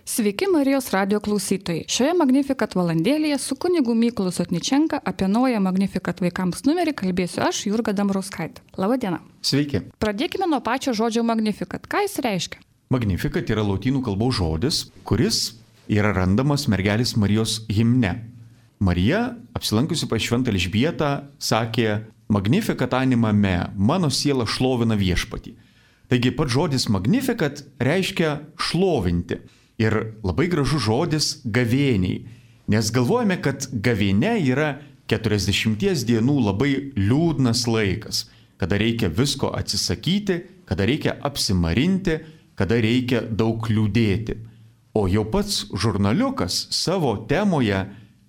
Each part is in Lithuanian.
Sveiki Marijos radio klausytojai. Šioje Magnificat valandėlėje su kunigu Mykolu Sotničenka apie naują Magnificat vaikams numerį kalbėsiu aš, Jurga Dambrauskaitė. Labą dieną. Sveiki. Pradėkime nuo pačio žodžio Magnificat. Ką jis reiškia? Magnificat yra lotynų kalbos žodis, kuris yra randamas mergelės Marijos himne. Marija, apsilankiusi pas šventą Elžbietą, sakė: Magnificat anima me, mano siela šlovina viešpatį. Taigi pats žodis Magnificat reiškia šlovinti. Ir labai gražus žodis gavėniai, nes galvojame, kad gavėnia yra 40 dienų labai liūdnas laikas, kada reikia visko atsisakyti, kada reikia apsimarinti, kada reikia daug liūdėti. O jau pats žurnaliukas savo temoje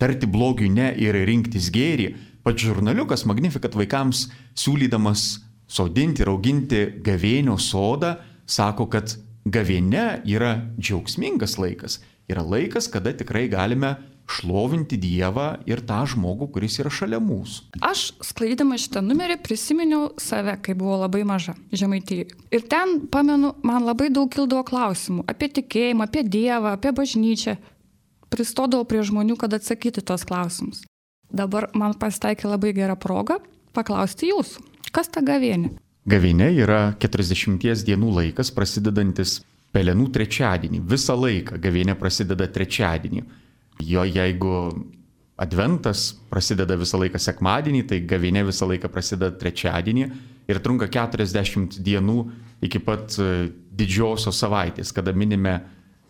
tarti blogiui ne ir rinktis gėrį, pats žurnaliukas Magnificat vaikams siūlydamas sodinti ir auginti gavėnio sodą, sako, kad gavėnia yra džiaugsmingas laikas, yra laikas, kada tikrai galime šlovinti Dievą ir tą žmogų, kuris yra šalia mūsų. Aš, sklaidydama šitą numerį, prisiminiau save, kai buvau labai maža, Žemaitijoje. Ir ten, pamenu, man labai daug kildavo klausimų apie tikėjimą, apie Dievą, apie bažnyčią. Pristodavau prie žmonių, kad atsakyti tos klausimus. Dabar man pasitaikė labai gera proga paklausti jūsų, kas ta gavėnia? Gavėnia yra 40 dienų laikas, prasidedantis Pelenų trečiadienį. Visą laiką gavėnia prasideda trečiadienį. Jo jeigu adventas prasideda visą laiką sekmadienį, tai gavėnia visą laiką prasideda trečiadienį ir trunka 40 dienų iki pat didžiosios savaitės, kada minime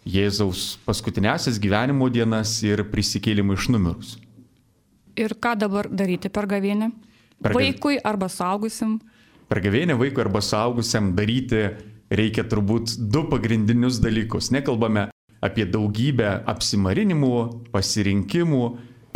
Jėzaus paskutinėsias gyvenimo dienas ir prisikėlimą iš numirus. Ir ką dabar daryti per gavėnią? Vaikui arba suaugusiam? Per gavėnią vaikui arba suaugusiam daryti reikia turbūt du pagrindinius dalykus. Nekalbame apie daugybę apsimarinimų, pasirinkimų,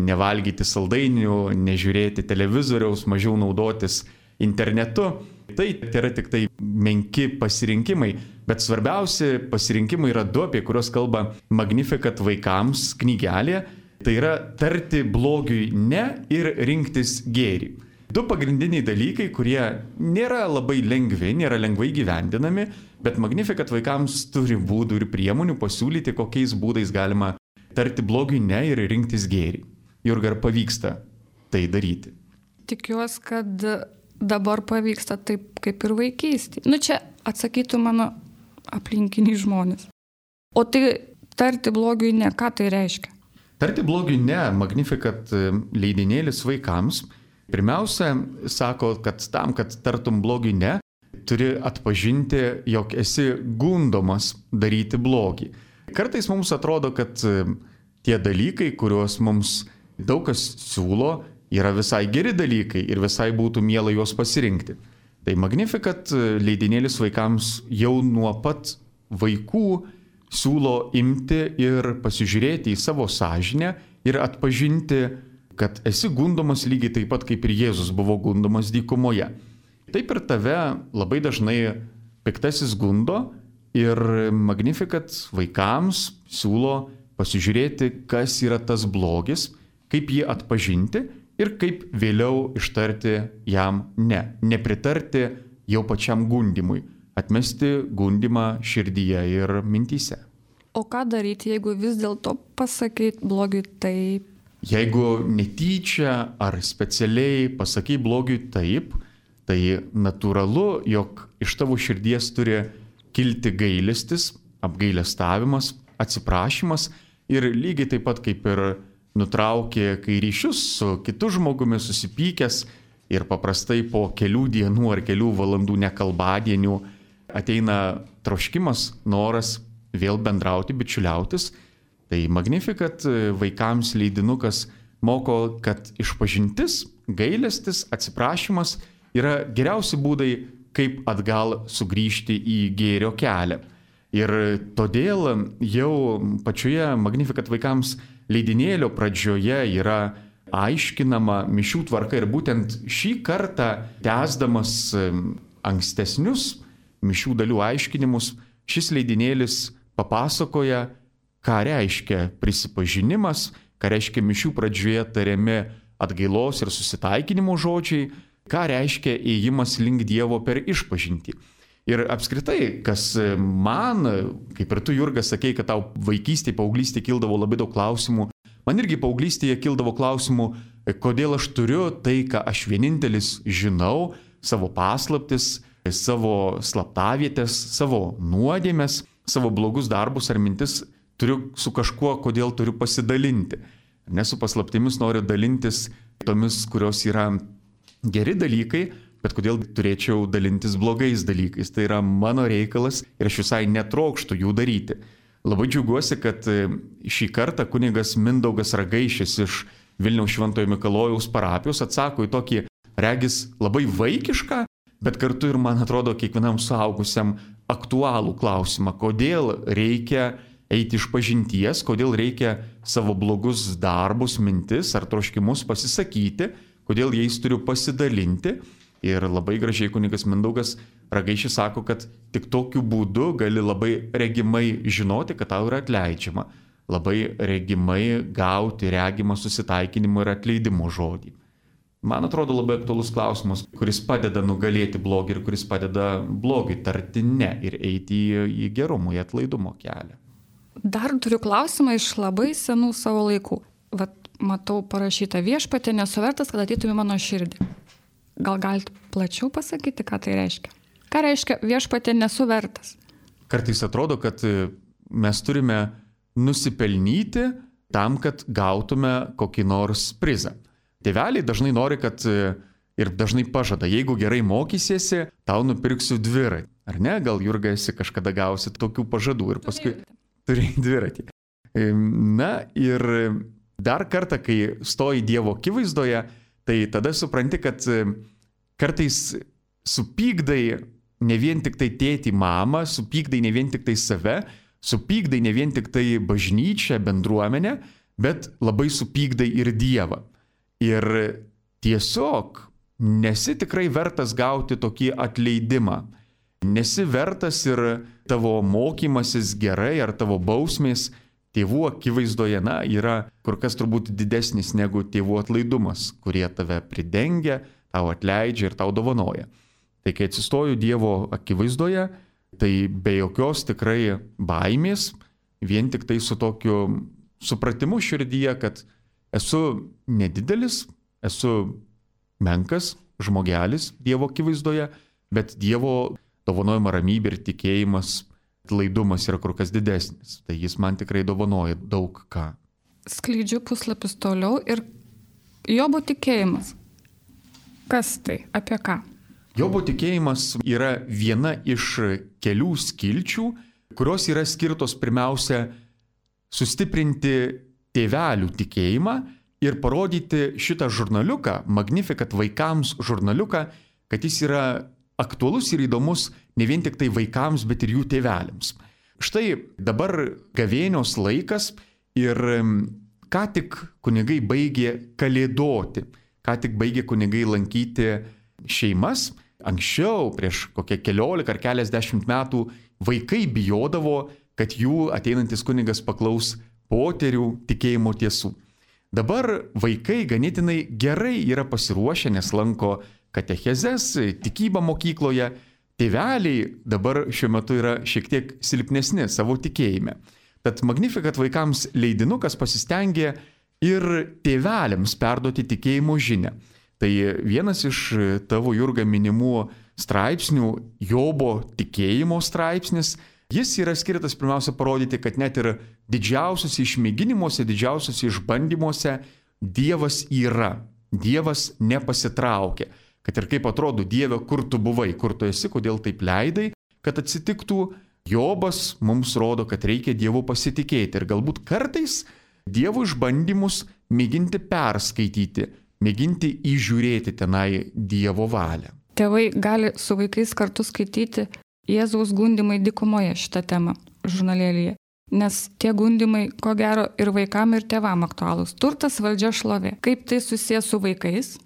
nevalgyti saldainių, nežiūrėti televizoriaus, mažiau naudotis internetu. Tai yra tik tai menki pasirinkimai, bet svarbiausi pasirinkimai yra du, apie kuriuos kalba Magnificat vaikams knygelė. Tai yra tarti blogiui ne ir rinktis gėrį. Du pagrindiniai dalykai, kurie nėra labai lengvi, nėra lengvai gyvendinami, bet Magnificat vaikams turi būdų ir priemonių pasiūlyti, kokiais būdais galima tarti blogiui ne ir rinktis gėrį. Jurga, ar pavyksta tai daryti? Tikiuosi, kad dabar pavyksta taip kaip ir vaikystėje. Čia atsakytų mano aplinkiniai žmonės. O tai tarti blogiui ne, ką tai reiškia? Tarti blogiui ne, Magnificat leidinėlis vaikams pirmiausia sako, kad tam, kad tartum blogiui ne, turi atpažinti, jog esi gundomas daryti blogį. Kartais mums atrodo, kad tie dalykai, kuriuos mums daug kas siūlo, yra visai geri dalykai ir visai būtų miela juos pasirinkti. Tai Magnificat leidinėlis vaikams jau nuo pat vaikų siūlo imti ir pasižiūrėti į savo sąžinę ir atpažinti, kad esi gundomas lygiai taip pat, kaip ir Jėzus buvo gundomas dykumoje. Taip ir tave labai dažnai piktasis gundo ir Magnificat vaikams siūlo pasižiūrėti, kas yra tas blogis, kaip jį atpažinti ir kaip vėliau ištarti jam ne. Nepritarti jau pačiam gundimui, atmesti gundimą širdyje ir mintyse. O ką daryti, jeigu vis dėlto pasakai blogiui taip? Jeigu netyčia ar specialiai pasakai blogiui taip, tai natūralu, jog iš tavo širdies turi kilti gailestis, apgailestavimas, atsiprašymas ir lygiai taip pat kaip ir nutraukė kai ryšius su kitu žmogumi susipykęs ir paprastai po kelių dienų ar kelių valandų nekalbadienių ateina troškimas, noras vėl bendrauti, bičiuliautis. Tai Magnificat vaikams leidinukas moko, kad išpažintis, gailestis, atsiprašymas yra geriausi būdai, kaip atgal sugrįžti į gėrio kelią. Ir todėl jau pačioje Magnificat vaikams leidinėlio pradžioje yra aiškinama mišių tvarka ir būtent šį kartą tęsdamas ankstesnius mišių dalių aiškinimus, šis leidinėlis papasakoja, ką reiškia prisipažinimas, ką reiškia mišių pradžioje tariami atgailos ir susitaikinimo žodžiai, ką reiškia ėjimas link Dievo per išpažintį. Ir apskritai, kas man, kaip ir tu, Jurga, sakei, kad tau vaikystėje, paauglystėje kildavo labai daug klausimų, man irgi paauglystėje kildavo klausimų, kodėl aš turiu tai, ką aš vienintelis žinau, savo paslaptis, savo slaptavietės, savo nuodėmes, savo blogus darbus ar mintis turiu su kažkuo, kodėl turiu pasidalinti. Nesu paslaptimis, noriu dalintis tomis, kurios yra geri dalykai, bet kodėl turėčiau dalintis blogais dalykais. Tai yra mano reikalas ir aš visai netrokštų jų daryti. Labai džiaugiuosi, kad šį kartą kunigas Mindaugas Ragaišis iš Vilniaus Šventojo Mikalojaus parapijos atsako į tokį, regis, labai vaikišką, bet kartu ir, man atrodo, kiekvienam suaugusiam aktualų klausimą, kodėl reikia eiti iš pažinties, kodėl reikia savo blogus darbus, mintis ar troškimus pasisakyti, kodėl jais turiu pasidalinti. Ir labai gražiai kunigas Mindaugas Ragaišis sako, kad tik tokiu būdu gali labai regimai žinoti, kad tau yra atleidžiama, labai regimai gauti regimą susitaikinimo ir atleidimo žodį. Man atrodo labai aktualus klausimas, kuris padeda nugalėti blogį ir kuris padeda blogiui tarti ne ir eiti į gerumo, į atlaidumo kelią. Dar turiu klausimą iš labai senų savo laikų. Vat matau parašyta: viešpatie, nesu vertas, kad ateitum į mano širdį. Gal galite plačiau pasakyti, ką tai reiškia? Ką reiškia viešpatie, nesu vertas? Kartais atrodo, kad mes turime nusipelnyti tam, kad gautume kokį nors prizą. Tėveliai dažnai nori, kad ir dažnai pažada, jeigu gerai mokysiesi, tau nupirksiu dviratį. Ar ne? Gal, Jurga, esi kažkada gausi tokių pažadų ir paskui turėjai dviratį. Na ir dar kartą, kai stoji Dievo akivaizdoje, tai tada supranti, kad kartais supykdai ne vien tik tai tėtį, mamą, supykdai ne vien tik tai save, supykdai ne vien tik tai bažnyčią, bendruomenę, bet labai supykdai ir Dievą. Ir tiesiog nesi tikrai vertas gauti tokį atleidimą. Nesi vertas ir tavo mokymasis gerai ar tavo bausmės tėvų akivaizdoje, yra kur kas turbūt didesnis negu tėvų atlaidumas, kurie tave pridengia, tau atleidžia ir tau dovanoja. Tai kai atsistoju Dievo akivaizdoje, tai be jokios tikrai baimės, vien tik tai su tokiu supratimu širdyje, kad esu nedidelis, esu menkas žmogelis Dievo akivaizdoje, bet Dievo dovanojama ramybė ir tikėjimas, atlaidumas yra kur kas didesnis. Tai jis man tikrai dovanoja daug ką. Skleidžiu puslapis toliau ir Jobo tikėjimas. Kas tai? Apie ką? Jobo tikėjimas yra viena iš kelių skilčių, kurios yra skirtos pirmiausia sustiprinti tėvelių tikėjimą ir parodyti šitą žurnaliuką, Magnificat vaikams žurnaliuką, kad jis yra aktualus ir įdomus ne vien tik tai vaikams, bet ir jų tėveliams. Štai dabar gavėnios laikas ir ką tik kunigai baigė kalėdoti, ką tik baigė kunigai lankyti šeimas. Anksčiau, prieš kokią 14 ar keliasdešimt metų, vaikai bijodavo, kad jų ateinantis kunigas paklaus poterių tikėjimo tiesų. Dabar vaikai ganėtinai gerai yra pasiruošę, nes lanko katechezes, tikybą mokykloje. Tėveliai dabar šiuo metu yra šiek tiek silpnesni savo tikėjime. Tad Magnificat vaikams leidinukas pasistengė ir tėveliams perduoti tikėjimo žinią. Tai vienas iš tavo, Jurga, minimų straipsnių, Jobo tikėjimo straipsnis, jis yra skirtas pirmiausia parodyti, kad net ir didžiausiuose išmėginimuose, didžiausiuose išbandymuose Dievas yra, Dievas nepasitraukia. Kad ir kaip atrodo, Dieve, kur tu buvai, kur tu esi, kodėl taip leidai, kad atsitiktų, Jobas mums rodo, kad reikia Dievu pasitikėti ir galbūt kartais Dievo išbandymus mėginti perskaityti, mėginti įžiūrėti tenai Dievo valią. Tėvai gali su vaikais kartu skaityti Jėzaus gundymai dykumoje šitą temą žurnalėlyje, nes tie gundymai, ko gero, ir vaikam, ir tėvam aktualūs. Turtas, valdžia, šlovė. Kaip tai susijęs su vaikais?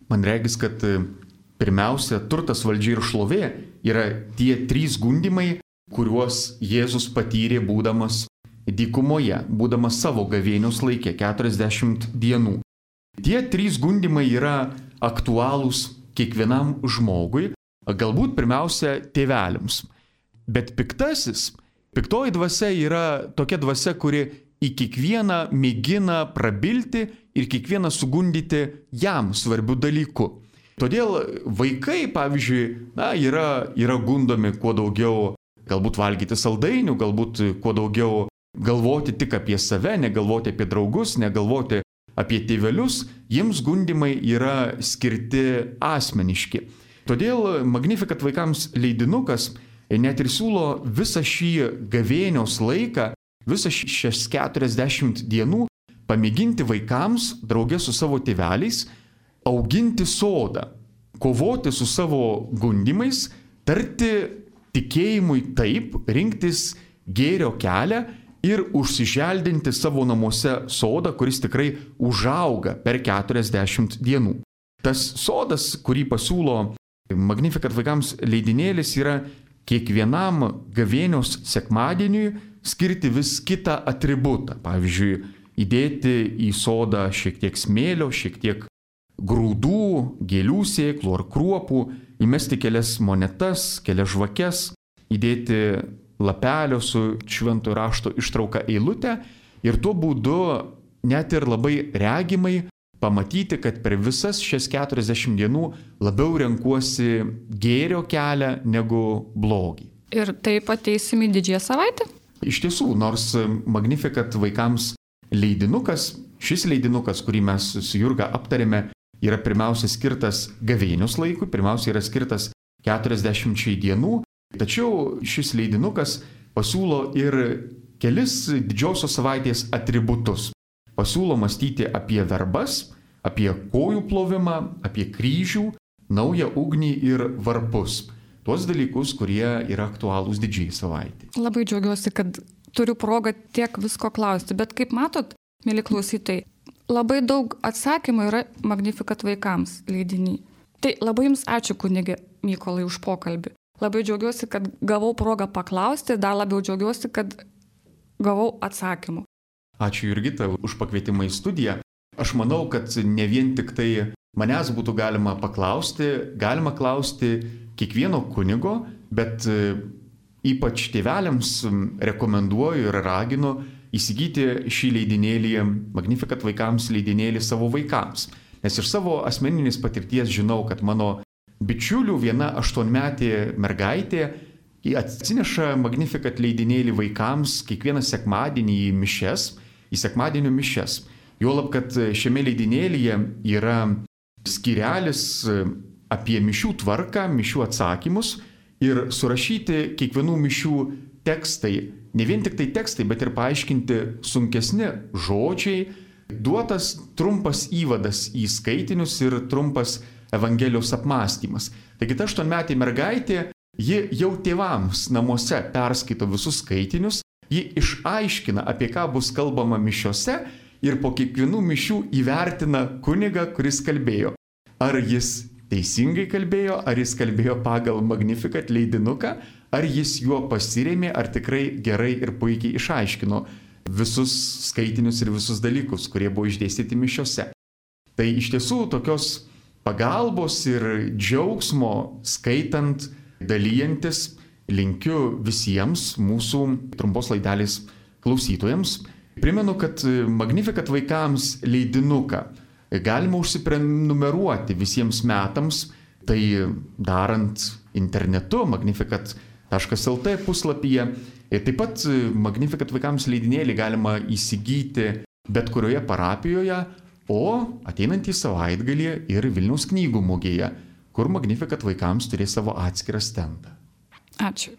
Man regis, kad pirmiausia, turtas, valdžia ir šlovė yra tie 3 gundymai, kuriuos Jėzus patyrė būdamas dykumoje, būdamas savo gavėnios laikė 40 dienų. Tie 3 gundymai yra aktualūs kiekvienam žmogui, galbūt pirmiausia tėveliams. Bet piktoji dvasia yra tokia dvasia, kuri į kiekvieną mėgina prabilti ir kiekvieną sugundyti jam svarbių dalykų. Todėl vaikai, pavyzdžiui, yra gundomi kuo daugiau galbūt valgyti saldainių, galbūt kuo daugiau galvoti tik apie save, negalvoti apie draugus, negalvoti apie tėvelius, jiems gundimai yra skirti asmeniški. Todėl Magnificat vaikams leidinukas net ir siūlo visą šį gavėnios laiką, visą šias 40 dienų pamėginti vaikams draugė su savo tėveliais auginti sodą, kovoti su savo gundimais, tarti tikėjimui taip, rinktis gėrio kelią ir užsiželdinti savo namuose sodą, kuris tikrai užauga per 40 dienų. Tas sodas, kurį pasiūlo Magnificat vaikams leidinėlis, yra kiekvienam gavėnios sekmadieniui skirti vis kitą atributą. Pavyzdžiui, įdėti į sodą šiek tiek smėlio, šiek tiek grūdų, gėlių sėklų ar kruopų, įmesti kelias monetas, kelias žvakes, įdėti lapelio su šventojo rašto ištrauka eilutę ir tuo būdu net ir labai regimai pamatyti, kad per visas šias 40 dienų labiau renkuosi gėrio kelią negu blogį. Ir taip ateisim į didžiąją savaitę? Iš tiesų, nors Magnificat vaikams leidinukas, šis leidinukas, kurį mes su Jurga aptarėme, yra pirmiausia skirtas gavėnios laikui, pirmiausia yra skirtas 40 dienų, tačiau šis leidinukas pasiūlo ir kelis didžiosios savaitės atributus. Pasiūlo mąstyti apie verbas, apie kojų plovimą, apie kryžių, naują ugnį ir varpus. Tuos dalykus, kurie yra aktualūs didžiai savaitė. Labai džiaugiuosi, kad turiu progą tiek visko klausti, bet kaip matot, mėly klausytojai, labai daug atsakymų yra Magnificat vaikams leidiny. Tai labai jums ačiū, kunige Mykolai, už pokalbį. Labai džiaugiuosi, kad gavau progą paklausti, dar labiau džiaugiuosi, kad gavau atsakymų. Ačiū Jurgita už pakvietimą į studiją. Aš manau, kad ne vien tik tai manęs būtų galima klausti kiekvieno kunigo, bet ypač tėveliams rekomenduoju ir raginu įsigyti šį leidinėlį, Magnificat vaikams leidinėlį savo vaikams. Nes iš savo asmeninės patirties žinau, kad mano bičiulių viena 8-metė mergaitė atsineša Magnificat leidinėlį vaikams kiekvieną sekmadienį į sekmadienio mišias. Juolab, kad šiame leidinėlyje yra skyrelis apie mišių tvarką, mišių atsakymus ir surašyti kiekvienų mišių tekstai. Ne vien tik tai tekstai, bet ir paaiškinti sunkesni žodžiai, duotas trumpas įvadas į skaitinius ir trumpas Evangelijos apmąstymas. Taigi ta 8-metė mergaitė, ji jau tėvams namuose perskaito visus skaitinius, ji išaiškina, apie ką bus kalbama mišiose ir po kiekvienų mišių įvertina kunigą, kuris kalbėjo. Ar jis teisingai kalbėjo, ar jis kalbėjo pagal Magnificat leidinuką, ar jis juo pasirėmė, ar tikrai gerai ir puikiai išaiškino visus skaitinius ir visus dalykus, kurie buvo išdėstyti mišiose. Tai iš tiesų tokios pagalbos ir džiaugsmo skaitant, dalyjantis, linkiu visiems mūsų trumpos laidelės klausytojams. Primenu, kad Magnificat vaikams leidinuką galima užsiprenumeruoti visiems metams, tai darant internetu magnificat.lt puslapyje. Taip pat Magnificat vaikams leidinėlį galima įsigyti bet kurioje parapijoje, o ateinantį savaitgalį ir Vilniaus knygų mugėje, kur Magnificat vaikams turės savo atskirą stendą. Ačiū.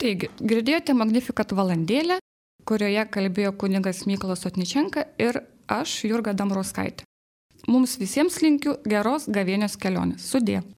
Taigi, girdėjote Magnificat valandėlę, kurioje kalbėjo kunigas Mykolas Otničenka ir aš, Jurga Dambrauskaitė. Mums visiems linkiu geros gavėnios kelionės. Sudie.